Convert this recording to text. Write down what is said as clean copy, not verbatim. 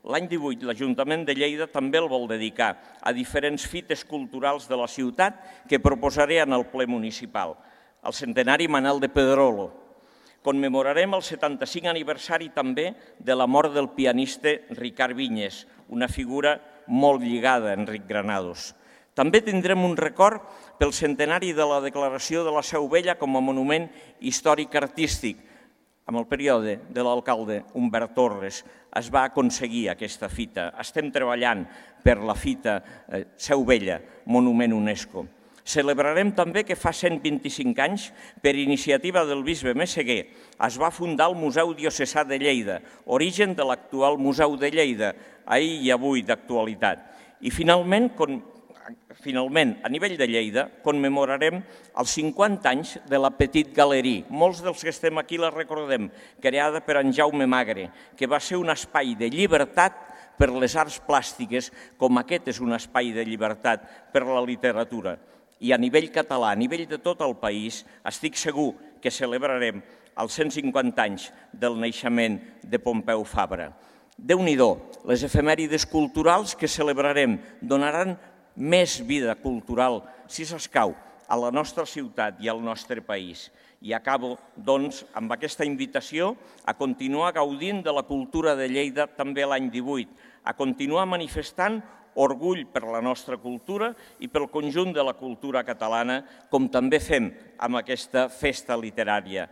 L'any 18 l'Ajuntament de Lleida també el vol dedicar a diferents fites culturals de la ciutat que proposaré en el ple municipal. El centenari Manel de Pedrolo. Commemorarem el 75 aniversari també de la mort del pianista Ricard Vinyes, una figura molt lligada a Enric Granados. També tindrem un record pel centenari de la declaració de la Seu Vella com a monument històric artístic. Amb el període de l'alcalde Humbert Torres es va aconseguir aquesta fita. Estem treballant per la fita Seu Vella, monument UNESCO. Celebrarem també que fa 125 anys, per iniciativa del bisbe Messeguer, es va fundar el Museu Diocesà de Lleida, origen de l'actual Museu de Lleida, ahir i avui d'actualitat. I finalment, a nivell de Lleida, commemorarem els 50 anys de la Petit Galerie. Molts dels que estem aquí la recordem, creada per en Jaume Magre, que va ser un espai de llibertat per les arts plàstiques, com aquest és un espai de llibertat per la literatura. I a nivell català, a nivell de tot el país, estic segur que celebrarem els 150 anys del naixement de Pompeu Fabra. Déu-n'hi-do, les efemèrides culturals que celebrarem donaran més vida cultural, si s'escau, a la nostra ciutat i al nostre país. I acabo, doncs, amb aquesta invitació a continuar gaudint de la cultura de Lleida també l'any 18, a continuar manifestant orgull per la nostra cultura i pel conjunt de la cultura catalana, com també fem amb aquesta festa literària.